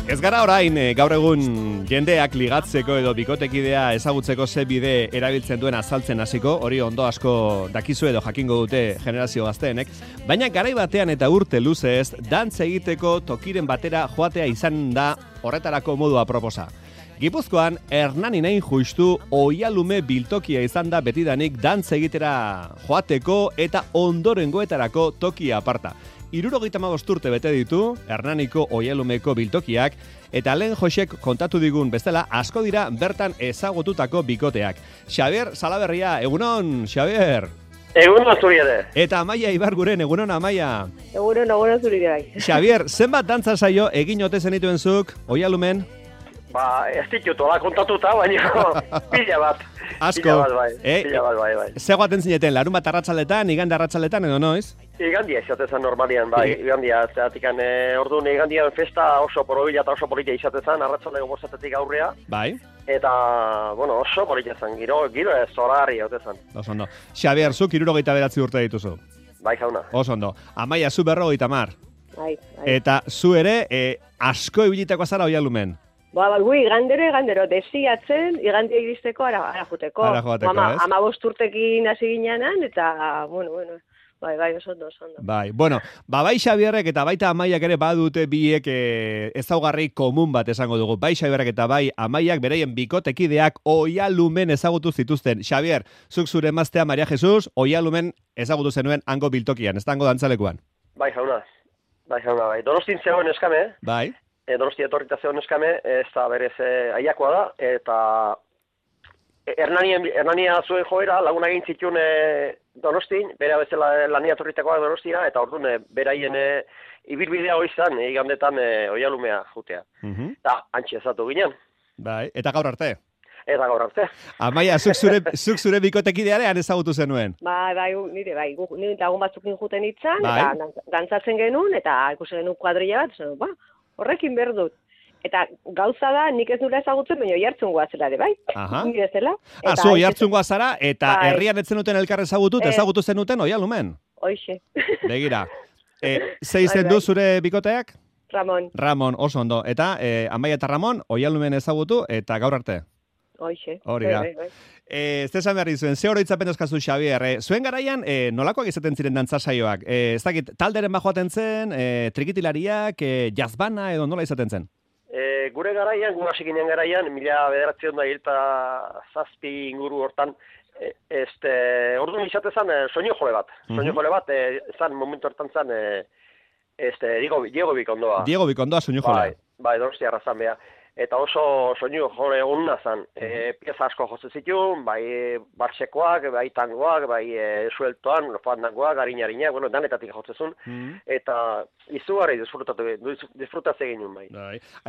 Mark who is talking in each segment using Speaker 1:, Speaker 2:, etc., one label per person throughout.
Speaker 1: Ez gara orain gaur egun jendeak ligatzeko edo bikotekidea ezagutzeko ze bide erabiltzen duen azaltzen hasiko, hori ondo asko dakizu edo jakingo dute generazio gazteenek, baina garai batean eta urte luzez, dantza egiteko tokiren batera joatea izan da horretarako modua proposa. Gipuzkoan, Hernaninain justu oialume biltokia izan da betidanik dantza egitera joateko eta ondorengoetarako tokia aparta. 75 urte bete ditu Hernaniko oialumeko biltokiak eta lehen Josek kontatu digun bestela asko dira bertan ezagututako bikoteak. Xabier Salaberria, egunon, Xabier.
Speaker 2: Egunon zuri ere.
Speaker 1: Eta Amaia Ibarguren, egunon Amaia.
Speaker 3: Egunon zuri ere.
Speaker 1: Xabier, zenbat dantza saio egin ote zenituen zuk oialumen?
Speaker 2: Ez ditut, hola kontatuta, baina pila bat.
Speaker 1: Asko.
Speaker 2: Pila bat, bai.
Speaker 1: Zegoaten zineten, larun bat arratsaletan, igande arratsaletan edo noiz?
Speaker 2: Igandia izatezan normalian, bai, igandia, zeratik orduan igandian festa oso porobila eta oso polita izatezan, arratsaleko bostatetik aurrea.
Speaker 1: Bai.
Speaker 2: Eta, bueno, oso polita zen, giro ez zoragarri hautezan.
Speaker 1: Oso ondo. Xabier, zuk 79 urte dituzu.
Speaker 2: Bai, jauna.
Speaker 1: Oso ondo. Amaia, zu 50.
Speaker 3: Bai.
Speaker 1: Eta zu ere, asko ibilitako zara oialumen.
Speaker 3: Gui igandero, desiatzen, igandia iristeko ara juteko.
Speaker 1: Ara joateko, ez?
Speaker 3: 15 urtekin hasi ginenan, eta, bueno, bai, oso ondo.
Speaker 1: Bai, bueno, bai Xabierrek eta baita Amaiak ere badute biek ezaugarri komun bat esango dugu. Bai Xabierrek eta bai Amaiak beraien bikotekideak oialumen ezagutu zituzten. Xabier, zuk zure emaztea Maria Jesus, oialumen ezagutu zenuen hango biltokian, ez da hango dantzalekuan.
Speaker 2: Bai, jauna. Donostin zegoen eskame.
Speaker 1: Bai.
Speaker 2: Donosti etorrita zegoen eskame, ez da berez aiakoa da, eta Hernania zuen joera, laguna egin zituen Donostin, bera bezala lania etorritakoa Donostia, eta orduan beraien ibilbidea hori izan, igandetan oialumea jutea. Eta antxe ezatu ginen.
Speaker 1: Bai, eta gaur arte?
Speaker 2: Eta gaur arte.
Speaker 1: Amaia, zuk zure bikotekidearean ezagutu zenuen?
Speaker 3: Bai, nire lagun batzukin juten itzan, eta dantzatzen genuen, eta ikusi genuen kuadrilla bat, horrekin behar dut. Eta gauza da, nik ez nula ezagutzen, baina oihartzungoa zela ere, bai? Nire zela.
Speaker 1: Zu oihartzungoa zara, eta herrian etzen duten elkar ezagutu zenuten oialumen?
Speaker 3: Hoixe.
Speaker 1: Begira. Ze izen du zure bikoteak?
Speaker 3: Ramon,
Speaker 1: oso ondo. Eta Amaia eta Ramon, oialumen ezagutu, eta gaur arte?
Speaker 3: Hoixe.
Speaker 1: Hori da. Zesan behar dizuen, ze oroitzapen euskazu, Xabier? Zuen garaian, nolakoak izaten ziren dantzasaioak? Ez dakit, talderen bajoaten zen, trikitilariak, jazbana edo nola izaten zen?
Speaker 2: Gure garaian, gure hasi ginen garaian, 1907 inguru hortan, orduan izatezan soinu jole bat. Soinu jole bat, zan momentu hortan zan, Diego Bikondoa.
Speaker 1: Diego Bikondoa soinu jole.
Speaker 2: Bai, Donostia arrazan beha. Eta oso soinu jole onna zan. Pieza asko jose zituen, bai barsekoak, bai tangoak, bai sueltoan, fandangoak, harina-harinak, bueno, danetatik jotzezun. Eta izugarri disfrutatzen egin bai.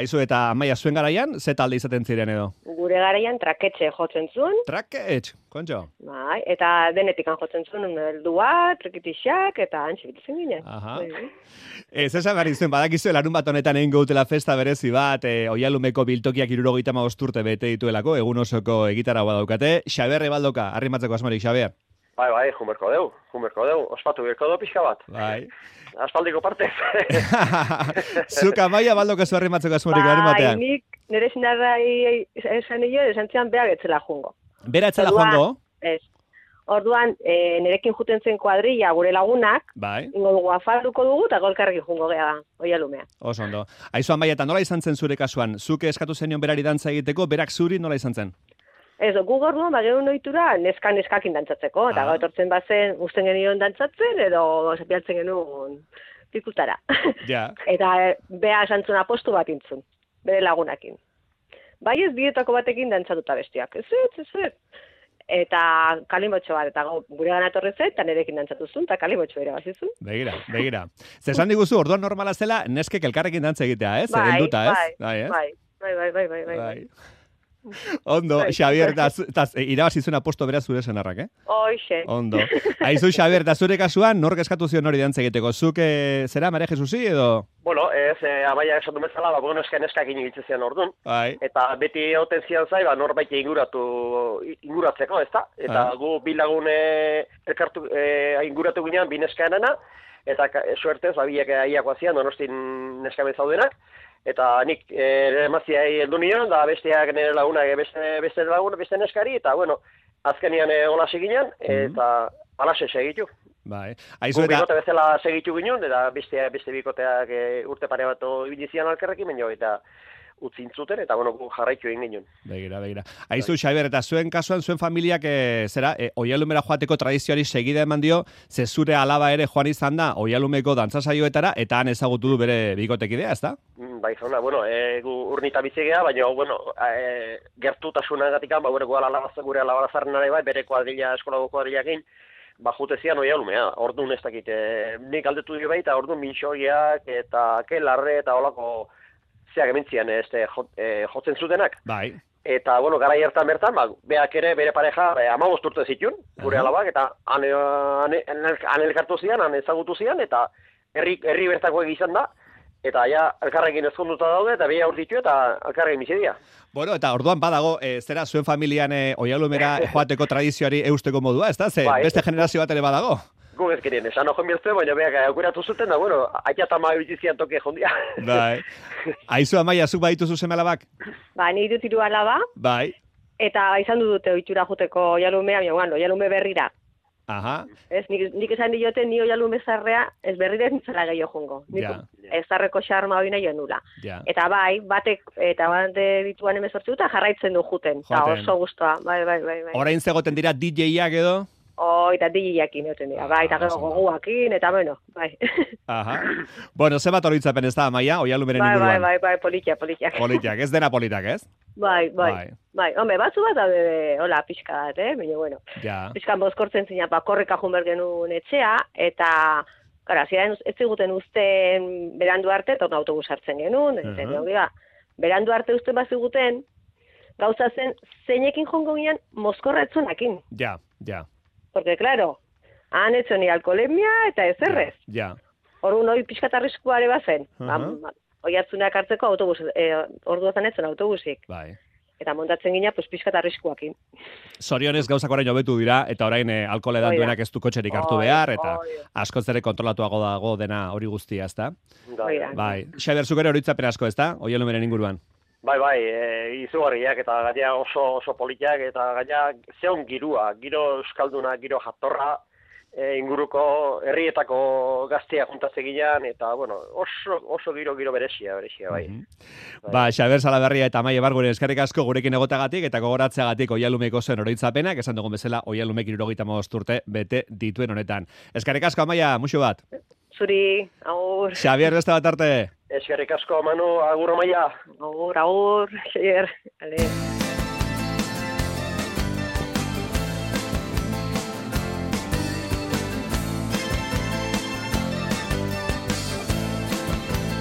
Speaker 1: Aizu, eta Amaia, zuen garaian, ze talde izaten ziren edo?
Speaker 3: Gure garaian traketxe jotzen zuen.
Speaker 1: Traketx, kontxo?
Speaker 3: Bai, eta denetik jotzen zuen, heldua, trekitixak, eta antxe bititzen ginen.
Speaker 1: Ez esan behar izuen, badakizu, larun bat honetan egin gautela festa berezi bat, oialumeko biltokiak 75 urte bete dituelako, egun osoko egitaragoa daukate. Xabier Baldoka, arrimatzeko asmorik, Xabier.
Speaker 2: Bai, jumerko deu, ospatu berko deu pixka bat.
Speaker 1: Bai.
Speaker 2: Aspaldiko partez.
Speaker 1: Zuk Amaia Baldoka zu arrimatzeko asmorik, arrimatean.
Speaker 3: Bai, nik nire zinarrai esan zian behar etzela jungo.
Speaker 1: Bera etzela joango?
Speaker 3: Ez. Orduan, nirekin juten zen kuadrilla gure lagunak, ingo dugu afalduko dugu, eta golkarrekin jungo geha oialumea.
Speaker 1: Oso ondo. Aizu Amaia, eta nola izan zen zure kasuan? Zuk eskatu zenion berari dantza egiteko, berak zuri nola izan zen?
Speaker 3: Ez, gu gorduan, gehun ohitura neskakin dantzatzeko, eta gau etortzen bazen usten genion dantzatzen, edo zapialtzen genuen pikutara.
Speaker 1: Ja.
Speaker 3: Eta beha esantzun apostu bat intzun, bere lagunakin. Bai ez dietako batekin dantzatuta bestiak. Ez. Eta kalimotxo bat, eta gure gana etorri zen, eta nirekin dantzatuzun, eta kalimotxo ere bazizun.
Speaker 1: Begira. Zesan diguzu, orduan normala zela, neskek elkarrekin dantza egitea, ez?
Speaker 3: Bai.
Speaker 1: Ondo, Xabier, eta irabazizun aposto beraz zure senarrak,
Speaker 3: Hoixe.
Speaker 1: Ondo. Aizu, Xabier, eta zure kasuan, nork eskatu zion hori dantza egiteko? Zuk, zera, Maria Jesusi, edo?
Speaker 2: Bueno, Amaia esan du bezala, neskak inibitzen zian orduan. Eta beti hauten zian zai, norbait inguratzeko, ez da? Eta gu bilagune elkartu inguratu ginean, bi neskaenana, eta suertez, biak aiakoa zian, Donostin neskamen zaudenak, eta nik emazia heldu nion, da besteak nire lagunak, beste neskari, eta bueno, azkenian hola seginan, eta alaxe segitu.
Speaker 1: Bai.
Speaker 2: Gu bikote bezala segitu ginen, eta beste bikoteak urte pare bat ibilizian alkerrekin, baino, eta utzin zuten, eta bueno, jarraitu egin ginen.
Speaker 1: Begira. Aizu, Xabier, eta zuen kasuan, zuen familiak, oialumera joateko tradizioari segida eman dio, ze zure alaba ere joan izan da, oialumeko dantzasaioetara, eta han ezagutu du bere bikotekidea, ez da?
Speaker 2: Bai, jauna, bueno, gu urnita bizigea, baina, bueno, gertutasunagatik, gure alabarazaren ere bai, bere kuadrilla, eskolako kuadrillakin, jutezian oialumea, orduan ez dakit, nik aldetu dio baita, orduan minxoiak, eta kelarre, eta holako, zeak ementzian jotzen zutenak.
Speaker 1: Bai.
Speaker 2: Eta, bueno, gara hartan bertan, beak ere bere pareja 15 urte zituen, gure alabak, eta han elkartu zian, han ezagutu zian, eta herri bertako egizan da, eta ja elkarrekin ezkonduta daude, eta beha urtitu eta elkarrekin bizidia.
Speaker 1: Bueno, eta orduan badago, zera zuen familian oialumera joateko tradizioari eusteko modua, ez da? Beste generazio bat ere badago?
Speaker 2: Gu ez gerien, esan ojo mirtzen, baina beak aukeratu zuten, da, bueno, aita eta ma bitzizian toke jondia.
Speaker 1: Bai. Aizu, Amaia, zuk badituzu seme alabak?
Speaker 3: Ba, ni dut 3 alaba.
Speaker 1: Bai.
Speaker 3: Eta izan dute ohitura joteko oialumea, baina bueno, oialume berrira.
Speaker 1: Aha.
Speaker 3: Ez, nik esan diote, ni oialume zarrea, ez berrira nintzela gehiago jongo. Ez zarreko xarma hori nahi nula.
Speaker 1: Ja.
Speaker 3: Eta bai, bate dituan 18 eta jarraitzen du juten. Eta oso gustoa, bai.
Speaker 1: Orain zegoten dira DJ-ak edo?
Speaker 3: Eta DJ-akin egoten dira, bai, eta gero goguakin, eta bueno, bai.
Speaker 1: Aha. Bueno, ze bat oroitzapen ez da, Amaia, oialumeren inguruan?
Speaker 3: Bai, politak.
Speaker 1: Politak, ez dena politak, ez?
Speaker 3: Bai, home, batzu bat daude, hola, pixka bat, baina, bueno.
Speaker 1: Ja.
Speaker 3: Pixkan bozkortzen zina, korreka junber genuen etxea, eta, gara, ziren ez ziguten uzten berandu arte, eta autobus hartzen genuen, berandu arte uzten bat ziguten, gauza zen, zeinekin jongo ginen, mozkorra etzonakin.
Speaker 1: Ja.
Speaker 3: Porque, claro, han hecho ni alkoholemia eta ez errez.
Speaker 1: Ja.
Speaker 3: Orduan hori pixkat arriskuare bazen. Hoi hartzunak hartzeko autobus, orduotan etzen autobusik.
Speaker 1: Bai.
Speaker 3: Eta montatzen gina, pues pixkat arriskuakin.
Speaker 1: Zorionez gauzak orain hobetu dira, eta orain alkohol edan duenak ez du kotxerik hartu behar, eta askoz ere kontrolatuago dago dena hori guztia, ez da? Bai. Xabier, zuk ere horitzapen asko, ez da? Oialumeren inguruan.
Speaker 2: Bai, izugarriak eta gaina oso politak eta gaina zeon girua, giro euskalduna, giro jatorra, inguruko herrietako gaztea juntatzegian eta, bueno, oso giro berezia, bai.
Speaker 1: Ba, Xabier Salaberria eta Amaia Barguren eskerrik asko gurekin egotagatik eta gogoratzeagatik oialumeko zen oroitzapenak, esan dugun bezala oialumek 75 urte bete dituen honetan. Eskerrik asko, Amaia, muxu bat.
Speaker 3: Zuri, agur.
Speaker 1: Xabier, beste bat arte.
Speaker 2: Eskerrik asko, Manu, agur, Amaia.
Speaker 3: Agur, Xabier.